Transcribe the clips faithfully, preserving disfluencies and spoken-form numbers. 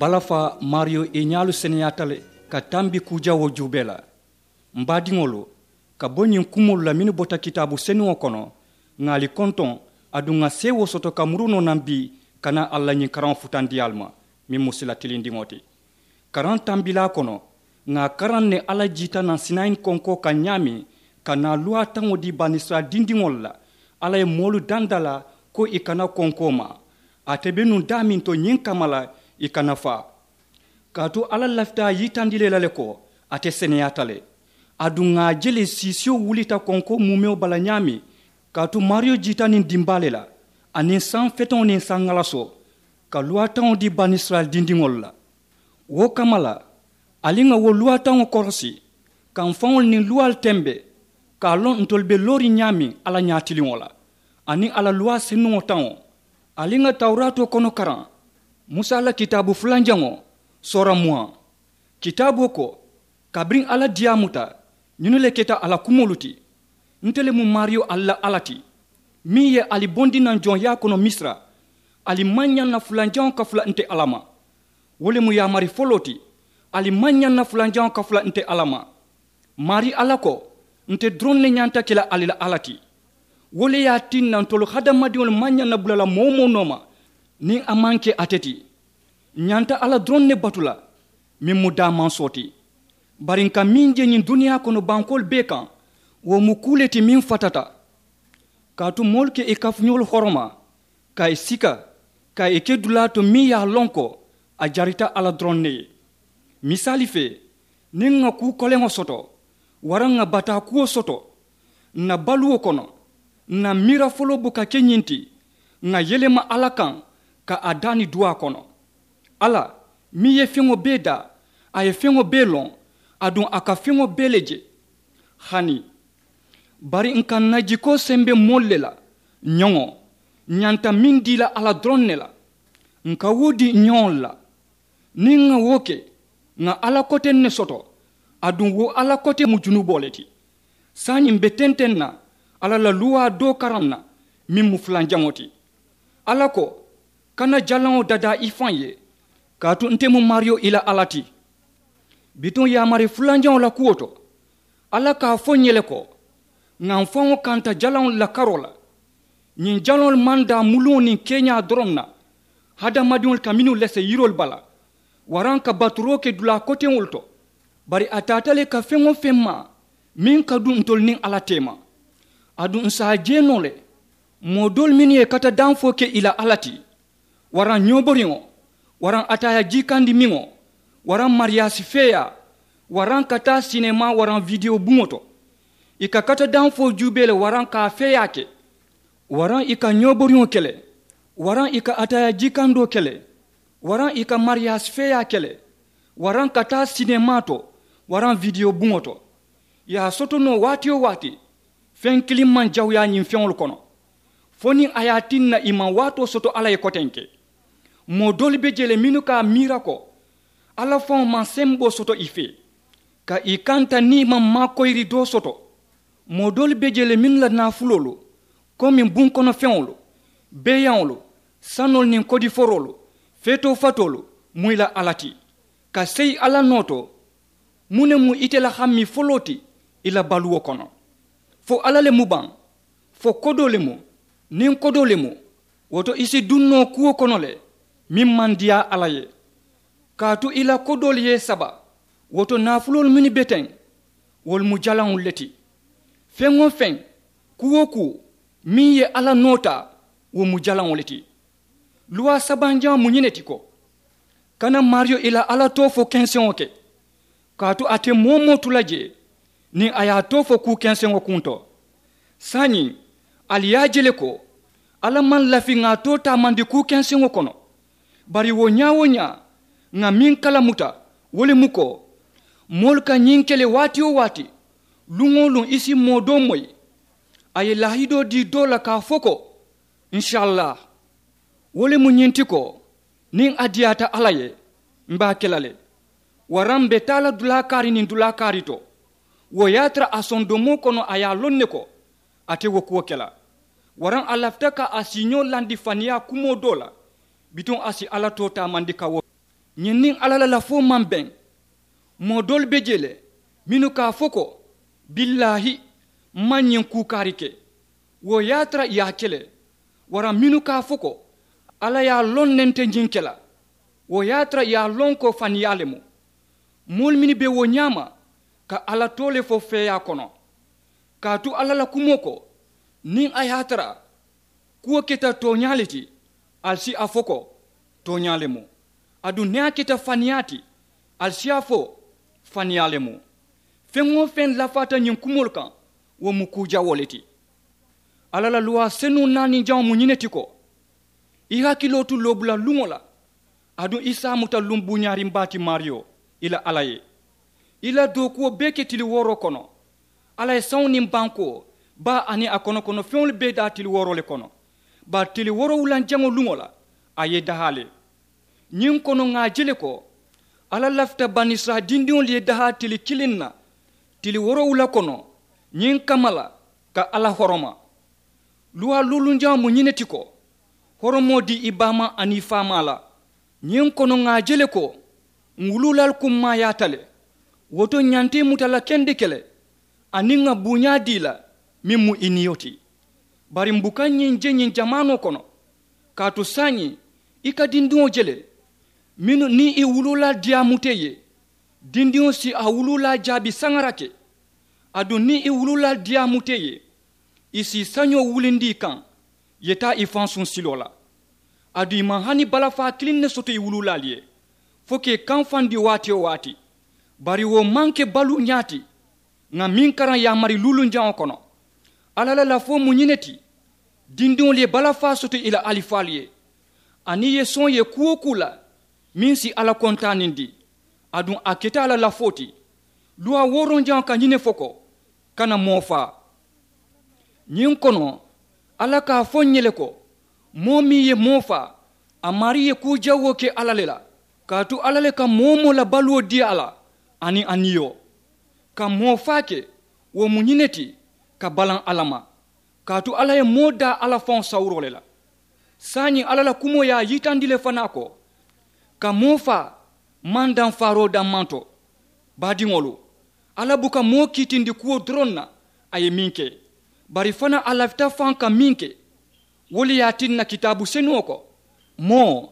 Balafa maariyo i ñaalu seneyaata le ka tambi kuu jawoo juubee la. M baadiŋolu, ka bo ñiŋ kumoolu la mennu bota kitaabu senuŋo kono, ŋà ali kontoŋ, aduŋ ŋà seewoo soto ka muru noo naŋ bii ka naa alla ñiŋ karaŋo futandi ali ma, meŋ mu sila tilindiŋo ti. Karaŋ tambilaa kono, ŋà a karaŋ ne alla jiita naŋ sinayin konkoo kaŋ ñaameŋ, ka naa luwaa taŋo dii banisirayila dindiŋolu la. Alla ye moolu dandalaa ko ì kana konkoo maa. Ate be nuŋ daameŋ to ñiŋ kamma la, ì kana faa. Kaatu alla lafita a yitandi le la le ko, ate seneyaata le. Aduŋ ŋà a je le siisiyo wulita konkoo muumewo bala ñaameŋ. Kaatu maariyo jiita niŋ dimbaa le la, aniŋ saŋ feteŋo niŋ saŋ ŋalasoo, ka luwaa taŋo dii banisirayila dindiŋolu la. Wo kamma la, ali ŋà wo luwaa taŋo korosi, ka m faŋolu niŋ luwaalu tembe, ka a loŋ ntolu be looriŋ ñaameŋ alla ñaatiliŋo la, aniŋ a la luwaa senuŋo taŋo. Ali ŋà tawuraatoo kono karaŋ, musa la kitaabu fulanjaŋo, soora muwaŋ. Kitaaboo ko, kabiriŋ alla diyaamuta, ñinnu le keta a la kumoolu ti. Nte le mu maariyo ali la alla ti, meŋ ye ali bondi naŋ joŋyaa kono misira. Ali maŋ ñaŋ na fulanjaŋo kafula nte alla ma. Wo le mu yaamari foloo ti. Ali maŋ ñaŋ na fulanjaŋo kafula nte alla ma. Maarii alla ko, nte doroŋ ne ñanta ke la ali la alla ti. Wo le ye a tinna ntolu hadamadiŋolu maŋ ñaŋ na bula la moo-wo-moo nooma, niŋ a maŋ ke ate ti. Ǹ ñanta alla doroŋ ne batu la, meŋ mu daamansoo ti. Bari ǹ ka meŋ je ñiŋ duniyaa kono bankoolu bee kaŋ, wo mu kuu le ti meŋ fatata. Kaatu moolu ka ì kafuñoolu horoma, ka ì sika, ka ì ke dulaa to meŋ ye a loŋ ko a jarita alla doroŋ ne ye. Misaali fee, niŋ ŋà kuu koleŋo soto, waraŋ ŋà bataa kuwo soto, ǹ na baluwo kono, ǹ na miira foloo buka ke ñiŋ ti, ŋà yelema alla kaŋ, ka a daani duwaa kono. Alla, meŋ ye feŋo bee daa, a ye feŋo bee loŋ, aduŋ a ka feŋo bee le je. Hani, bari ǹ ka ǹ na jikoo sembe moolu le la, ñoŋo, ǹ ñanta meŋ dii la alla doroŋ ne la. Ǹ ka wo dii ǹ ñoŋolu la. Niŋ ŋà wo ke, ŋà alla koteŋ ne soto. Aduŋ wo alla kote mu junuboo le ti. Saayiŋ m̀ be tenteŋ na alla la luwaa doo karaŋ na, meŋ mu fulanjaŋo ti. Alla ko, kana jalaŋo dadaa i faŋ ye, kaatu nte mu maariyo i la alla ti. Bituŋ yaamari fulanjaŋo la kuwo to, alla ka a fo ǹ ye le ko, ŋà m faŋo kanta jalaŋolu la karoo la. Ñiŋ jaloolu maŋ daa muluŋo niŋ keeñaa doroŋ na, hadamadiŋolu ka mennu lese yiroolu bala, waraŋ ka baturoo ke dulaa koteŋolu to. Bari a taata le ka feŋ-wo-feŋ maa meŋ ka duŋ ntolu niŋ alla teema. Aduŋ ǹ si a je noo le, moo doolu mennu ye kata danfoo ke ì la alla ti, waraŋ ñooboriŋo, waraŋ ataayaa jiikandimiŋo, waraŋ mariyaasi feeyaa, waraŋ ka taa sinemaa waraŋ widewo buŋo to. Ì ka kata danfoo juubee le waraŋ ka a feeyaa ke, waraŋ ì ka ñooboriŋo ke le, waraŋ ì ka ataayaa jiikandoo ke le, waraŋ ì ka mariyaasi feeyaa ke le, waraŋ ka taa sinemaa to, waraŋ widewo buŋo to. Ì ye a soto noo waati-wo-waati, feŋ kiliŋ maŋ jawuyaa ñiŋ feŋolu kono, fo niŋ a ye a tinna ì maŋ waatoo soto alla ye kotenke. Moo doolu be jee le mennu ka a miira ko, alla faŋo maŋ semboo soto ì fee, ka ì kanta niŋ ì maŋ maakoyiri doo soto. Moo doolu be jee le mennu la naafuloolu, komi bunkonofeŋolu, beeyaŋolu, sanoolu niŋ kodiforoolu, feetoo fatoolu, mu ì la alla ti, ka seyi alla noo to. Muŋ ne mu ite la hammii foloo ti ì la baluwo kono? Fo alla le mu baŋ? Fo kodoo le mu? Niŋ kodoo le mu, wo to ì si duŋ noo kuwo kono le, meŋ maŋ diyaa alla ye. Kaatu ì la kodoolu ye ì saba. Wo to naafuloolu mennu be teŋ, wolu mu jalaŋolu le ti. Feŋ-wo-feŋ, kuu-wo-kuu, meŋ ye alla noo taa, wo mu jalaŋo le ti. Luwaa sabanjaŋo mu ñiŋ ne ti ko, kana maariyo ì la alla too fo kenseŋo ke, kaatu a te moo-wo-moo tu la jee niŋ a ye a too fo kuu kenseŋo kuŋ to. Saayiŋ, ali ye a je le ko, alla maŋ lafi ŋà a too taamandi kuu kenseŋo kono. Bari wo ñaa-wo-ñaa, ŋà meŋ kalamuta, wo le mu ko, moolu ka ñiŋ ke le waati-wo-waati, luŋ-wo-luŋ ì si moo doo moyi, a ye laahidoo dii doo la ka a fo ko, nsaallaah. Wo le mu ñiŋ ti ko, niŋ a diyaata alla ye, m̀ be a ke la le. Waraŋ m̀ be taa la dulaa kaari niŋ dulaa kaari to, wo ye a tara a sondomoo kono a ye a loŋ ne ko, a te wo kuwo ke la. Waraŋ a lafita ka a siiñoo landi faniyaa kumoo doo la, bituŋ a si alla too taamandi ka wo. Ñiŋ niŋ alla la lafoo maŋ beŋ. Moo doolu be jee le mennu ka a fo ko, billaahi, m maŋ ñiŋ kuu kaari ke. Wo ye a tara ì ye a ke le. Waraŋ mennu ka a fo ko, alla ye a loŋ ne nte ñiŋ ke la. Wo ye a tara ì ye a loŋ ko faniyaa le mu. Moolu mennu be wo ñaama ka alla too le fo feeyaa kono. Kaatu alla la kumoo ko, niŋ a ye a tara kuwo keta tooñaa le ti, ali si a fo ko, tooñaa le mu. Aduŋ niŋ a keta faniyaa ti, ali si a fo, faniyaa le mu. Feŋ-wo-feŋ lafaata ñiŋ kumoolu kaŋ, wo mu kuu jawoo le ti. Alla la luwaa senuŋo naaniŋ jaŋo mu ñiŋ ne ti ko, i hakiloo tu loobula luŋo la. Aduŋ i se a muta luŋ buuñaariŋ baa ti maariyo, i la alla ye. I la dookuwo bee ke tili wooroo kono. Alla ye saŋo niŋ bankoo, baa aniŋ a kono kono feŋolu bee daa tili wooroo le kono. Bari tili woorowulanjaŋo luŋo la, a ye i dahaa le. Ñiŋ kono ŋà a je le ko, alla lafita banisirayila dindiŋolu ye dahaa tili kiliŋ na, tili woorowula kono, ñiŋ kamma la, ka alla horoma. Luwaa luulunjaŋo mu ñiŋ ne ti ko, horomoo dii i baamaa aniŋ i faamaa la. Ñiŋ kono ŋà a je le ko, ǹ wuluulaalu kummaayaata le. Wo to ñanta i muta la kendeke le, aniŋ ŋà buuñaa dii i la, meŋ mu i niyo ti. Bari m̀ buka ñiŋ je ñiŋ jamaanoo kono. Kaatu saayiŋ, i ka dindiŋo je le, mennu niŋ i wuluulaalu diyaamuta i ye, dindiŋo si a wuluulaa jaabi saŋarake. Aduŋ niŋ i wuluulaalu diyaamuta i ye, i si i sañoo wulindi i kaŋ, ye taa i fansuŋ siloo la. Aduŋ i maŋ hani balafaa kiliŋ ne soto i wuluulaalu ye, fo ka i kamfandi waati-wo-waati. Bari wo maŋ ke baluuñaa ti. Ŋà meŋ karaŋ yaamari luulunjaŋo kono, alla la lafoo mu ñiŋ ne ti, dindiŋolu ye balafaa soto i la alifaalu ye, aniŋ i ye soŋ ye kuu-wo-kuu la, meŋ si alla kontaanindi. Aduŋ a keta a la lafoo ti. Luwaa wooronjaŋo ka ñiŋ ne fo ko, kana moo faa. Ñiŋ kono, alla ka a fo ǹ ye le ko, moo meŋ ye moo faa, a maarii ye kuu jawoo ke alla le la. Kaatu alla le ka moo-wo-moo la baluwo dii a la, aniŋ a niyo. Ka moo faa ke, wo mu ñiŋ ne ti, ka balaŋ alla ma. Kaatu alla ye moo daa alla faŋo sawuroo le la. Saayiŋ alla la kumoo ye a yitandi le fanaa ko, ka moo faa maŋ daŋ faaroo dammaŋ to. Baadiŋolu, alla buka moo kiitindi kuwo doroŋ na, a ye meŋ ke, bari fanaa a lafita faŋ ka meŋ ke. Wo le ye a tinna kitaabu senuŋo ko, moo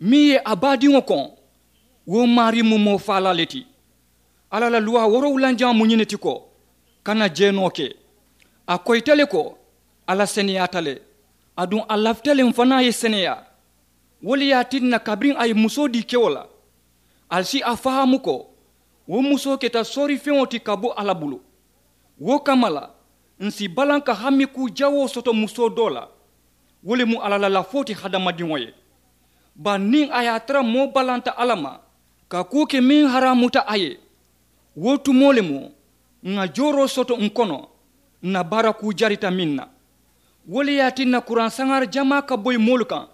meŋ ye a baadiŋo koŋ, wo maarii mu moo faalaa le ti. Alla la luwaa woorowulanjaŋo mu ñiŋ ne ti ko, kana jeenoo ke. A koyita le ko, alla seneyaata le. Aduŋ a lafita le m̀ fanaa ye seneyaa. Wo le ye a tinna kabiriŋ a ye musoo dii kewo la, ali si a fahaamu ko, wo musoo keta soorifeŋo ti ka bo alla bulu. Wo kamma la, ǹ si balaŋ ka hami kuu jawoo soto musoo doo la. Wo le mu alla la lafoo ti hadamadiŋo ye. Bari niŋ a ye a tara moo balanta alla ma, ka kuu ke meŋ haraamuta a ye, wo tumoo le mu ŋà jooroo soto ǹ kono, ǹ na baara kuu jarita meŋ na. Wo le ye a tinna kuraŋ saŋaari jamaa ka boyi moolu kaŋ,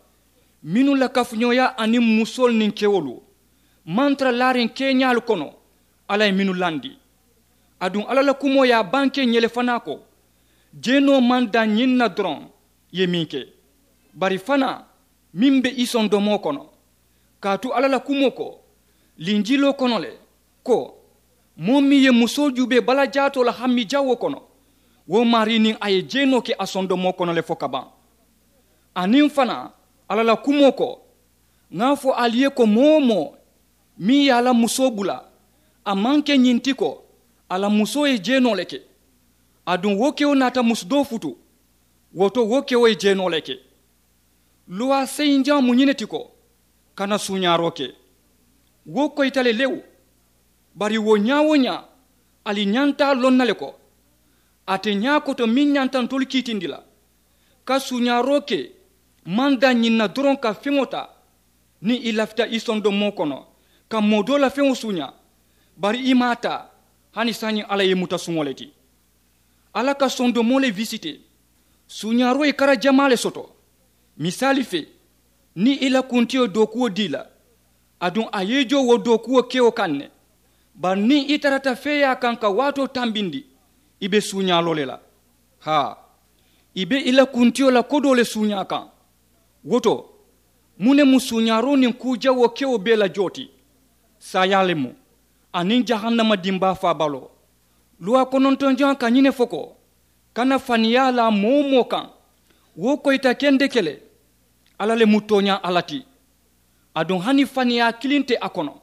mennu la kafuñooyaa aniŋ musoolu niŋ kewolu maŋ tara laariŋ keeñaalu kono, alla ye mennu landi. Aduŋ alla la kumoo ye a bankee ǹ ye le fanaa ko, jeenoo maŋ daŋ ñiŋ na doroŋ, ì ye meŋ ke, bari fanaa meŋ be i sondomoo kono. Kaatu alla la kumoo ko linjiloo kono le, ko, moo meŋ ye musoo juubee balajaatoo la hami jawoo kono, wo maarii niŋ a ye jeenoo ke a sondomoo kono le fo ka baŋ. Aniŋ fanaa, alla la kumoo ko, ŋà a fo ali ye ko moo-wo-moo meŋ ye a la musoo bula, a maŋ ke ñiŋ ti ko, a la musoo ye jeenoo le ke. Aduŋ wo kewo naata musu doo futu, wo to wo kewo ye jeenoo le ke. Luwaa seyinjaŋo mu ñiŋ ne ti ko, kana suuñaaroo ke. Wo koyita le lewu. Bari wo ñaa-wo-ñaa, ali ñanta a loŋ na le ko, ate ñaa koto meŋ ñanta ntolu kiitindi la, ka suuñaaroo ke maŋ daŋ ñiŋ na doroŋ ka feŋo taa, niŋ i lafita i sondomoo kono, ka moo doo la feŋo suuñaa, bari i maŋ a taa. Hani saayiŋ alla ye i muta suŋo le ti. Alla ka sondomoo le wisitee. Suuñaaroo ye kara jamaa le soto. Misaali fee, niŋ i la kuntiyo dookuwo dii la, aduŋ a ye i joo wo dookuwo kewo kaŋ ne. Bari niŋ i tarata feeyaa kaŋ ka waatoo tambindi, i be suuñaaloo le la. Haa, i be i la kuntiyo la kodoo le suuñaa kaŋ. Wo to, Muŋ ne mu suuñaaroo niŋ kuu jawoo kewo bee la joo ti? Saayaa le mu, aniŋ jahannama dimbaa faabaloo. Luwaa konontonjaŋo ka ñiŋ ne fo ko, kana faniyaa laa moo-wo-moo kaŋ. Wo koyita kendeke le, alla le mu tooñaa alla ti. Aduŋ hani faniyaa kiliŋ te a kono.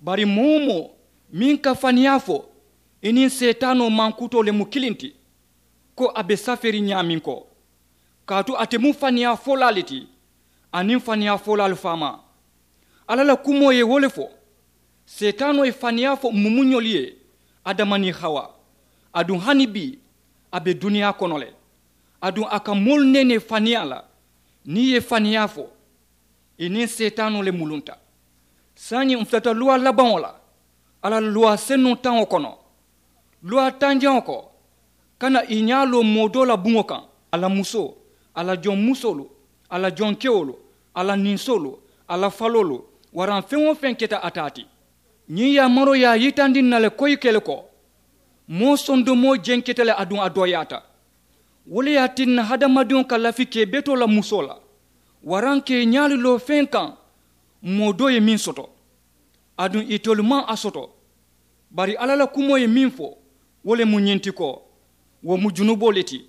Bari moo-wo-moo meŋ ka faniyaa fo, i niŋ seetaanoo mankutoo le mu kiliŋ ti, ko a be safeeriŋ ñaameŋ ko. Kaatu ate mu faniyaa folaa le ti, aniŋ faniyaa folaalu faamaa. Alla la kumoo ye wo le fo. Seetaanoo ye faniyaa fo mumuñolu ye, adama niŋ hawa. Aduŋ hani bii, a be duniyaa kono le. Aduŋ a ka moolu neenee faniyaa la. Niŋ i ye faniyaa fo, i niŋ seetaanoo le mulunta. Saayiŋ m̀ futata luwaa labaŋo la, alla la luwaa senuŋ taŋo kono. Luwaa tanjaŋo ko, kana i ñaa loo moo doo la buŋo kaŋ, a la musoo, a la joŋ musoolu, a la joŋ kewolu, a la ninsoolu, a la faloolu, waraŋ feŋ-wo-feŋ keta a taa ti. Ñiŋ yaamaroo ye a yitandi ǹ na le koyi ke le ko, moo sondomoo jenketa le aduŋ a dooyaata. Wo le ye a tinna hadamadiŋo ka lafi ka i betoo la musoo la, waraŋ ka i ñaalu loo feŋ kaŋ, moo doo ye meŋ soto. Aduŋ itelu maŋ a soto. Bari alla la kumoo ye meŋ fo, wo le mu ñiŋ ti ko, wo mu junuboo le ti.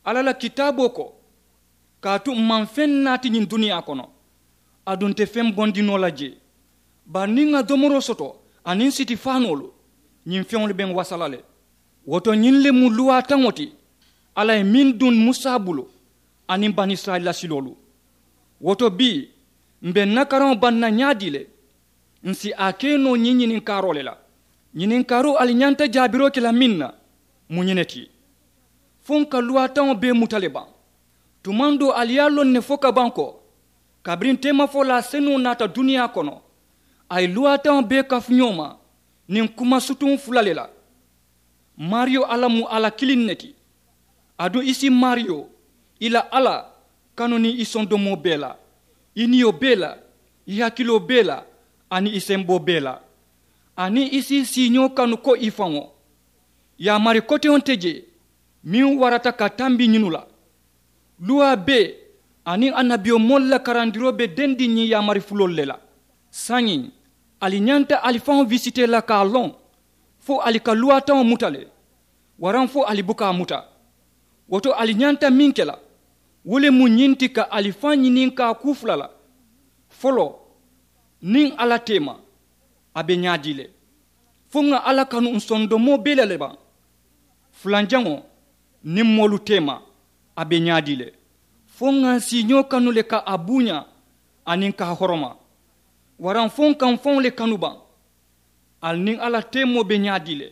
Alla la kitaaboo ko, kaatu m̀ maŋ feŋ naati ñiŋ duniyaa kono, aduŋ nte feŋ bondi noo la jee. Bari niŋ ŋà domoroo soto, aniŋ siti faanoolu, ñiŋ feŋolu be ǹ wasa la le. Wo to ñiŋ le mu luwaa taŋo ti, alla ye meŋ duŋ musa bulu, aniŋ banisirayila siloolu. Wo to bii, m̀ be ǹ na karaŋo baŋ na ñaadii le? Ǹ si a ke noo ñiŋ ñininkaaroo le la. Ñininkaaroo ali ñanta jaabiroo ke la meŋ na, mu ñiŋ ne ti. Fo ǹ ka luwaa taŋo bee muta le baŋ? Tumaŋ doo ali ye a loŋ ne fo ka baŋ ko, kabiriŋ teemafolaa senuŋo naata duniyaa kono, a ye luwaa taŋo bee kafu ñoo ma, niŋ kuma sutuŋ fula le la. Maariyo alla mu alla kiliŋ ne ti. Aduŋ i si maariyo, i la alla, kanu niŋ i sondomoo bee la, i niyo bee la, i hakiloo bee la, aniŋ i semboo bee la. Aniŋ i si i siiñoo kanu ko i faŋo. Yaamari koteŋo te jee, meŋ warata ka tambi ñinu la. Luwaa bee aniŋ annabiyomoolu la karandiroo be dendiŋ ñiŋ yaamari fuloolu le la. Saayiŋ, ali ñanta ali faŋo wisitee la ka a loŋ, fo ali ka luwaa taŋo muta le, waraŋ fo ali buka a muta. Wo to ali ñanta meŋ ke la, wo le mu ñiŋ ti ka ali faŋ ñininkaa kuu fula la. Foloo, niŋ alla teema, a be ñaadii le? Fo ŋà alla kanu ǹ sondomoo bee la le baŋ? Fulanjaŋo, niŋ moolu teema, a be ñaadii le? Fo ŋà ǹ siiñoo kanu le ka a buuñaa, aniŋ ka a horoma? Waraŋ fo ǹ ka ǹ faŋo le kanu baŋ? Ali niŋ alla teemoo be ñaadii le?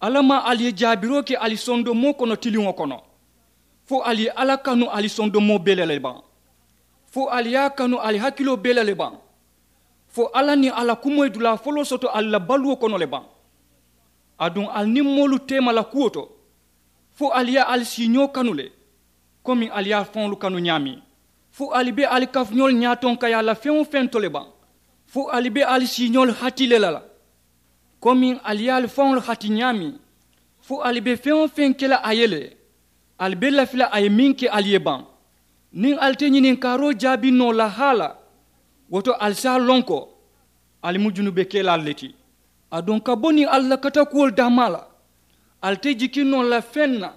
Alla maŋ ali ye jaabiroo ke ali sondomoo kono tiliŋo kono, fo ali ye alla kanu ali sondomoo bee la le baŋ? Fo ali ye a kanu ali hakiloo bee la le baŋ? Fo alla niŋ a la kumoo ye dulaa foloo soto ali la baluwo kono le baŋ? Aduŋ ali niŋ moolu teema la kuwo to, fo ali ye ali siiñoo kanu le, komi ali ye ali faŋolu kanu ñaameŋ? Fo ali be ali kafuñoolu ñaatonkayaa la feŋ-wo-feŋ to le baŋ? Fo ali be ali siiñoolu hati le la la, komi ali ye ali faŋolu hati ñaameŋ? Fo ali be feŋ-wo-feŋ ke la a ye le, ali be lafi la a ye meŋ ke ali ye baŋ? Niŋ ali te ñininkaaroo jaabi noo la haa la, wo to ali si a loŋ ko, ali mu junubekelaalu le ti. Aduŋ ka bo niŋ alla la katakuwolu daamaa la, ali te jiki noo la feŋ na,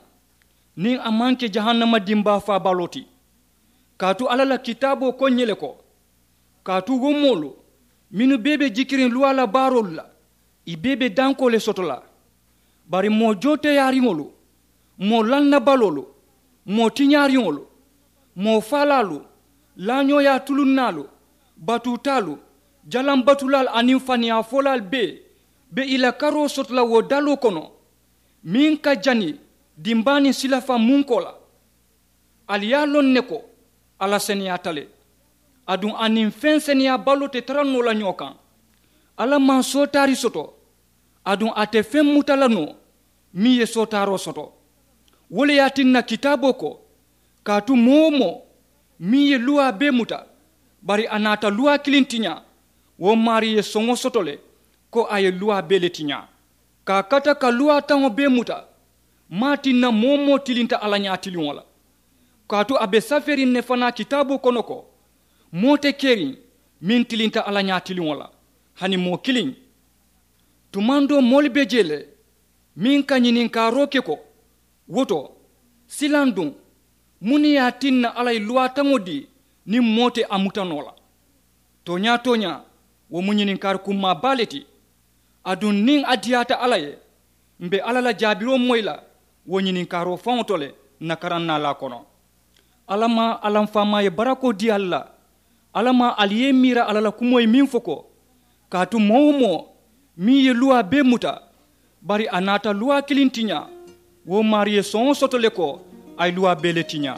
niŋ a maŋ ke jahannama dimbaa faabaloo ti. Kaatu alla la kitaaboo ko ǹ ye le ko, kaatu wo moolu mennu bee be jikiriŋ luwaa la baaroolu la, ì bee be dankoo le soto la. Bari moo jooteyaariŋolu, moo lannabaloolu, moo tiñaariŋolu, moo faalaalu, laañooyaa tulunnaalu, batuutaalu, jalambatulaalu aniŋ faniyaafolaalu bee be ì la karoo soto la wo daloo kono, meŋ ka jani dimbaa niŋ silafaŋ munkoo la. Ali ye a loŋ ne ko, alla seneyaata le. Aduŋ a niŋ feŋ seneyaabaloo te tara noo la ñoo kaŋ. Alla maŋ sootaari soto, aduŋ a te feŋ muta la noo meŋ ye sootaaroo soto. Wo le ye a tinna kitaaboo ko, kaatu moo-wo-moo meŋ ye luwaa bee muta, bari a naata luwaa kiliŋ tiñaa, wo maarii ye soŋo soto le ko a ye luwaa bee le tiñaa. Ka a kata ka luwaa taŋo bee muta, maŋ a tinna moo-wo-moo tilinta alla ñaatiliŋo la. Kaatu a be safeeriŋ ne fanaa kitaaboo kono ko, Moo te keriŋ meŋ tilinta alla ñaatiliŋo la hani moo kiliŋ. Tumandoo moolu be jee le meŋ ka ñininkaaroo ke ko, wo to silaŋ duŋ? Muŋ ne ye a tinna alla ye luwaataŋo dii niŋ moo te a muta noo la? Tooñaa-tooñaa, wo mu ñininkaari kummaa baa le ti. Aduŋ niŋ a diyaata alla ye, m̀ be alla la jaabiroo moyi la wo ñininkaaroo faŋo to le. Ǹ na karaŋ naalaa kono, alla maŋ a la m̀ faamaa ye barakoo dii ali la. Alla maŋ ali ye ì miira alla la kumoo ye meŋ fo ko, kaatu moo-wo-moo meŋ ye luwaa bee muta, bari a naata luwaa kiliŋ tiñaa, wo maarii ye soŋo soto le ko a ye luwaa bee le tiñaa.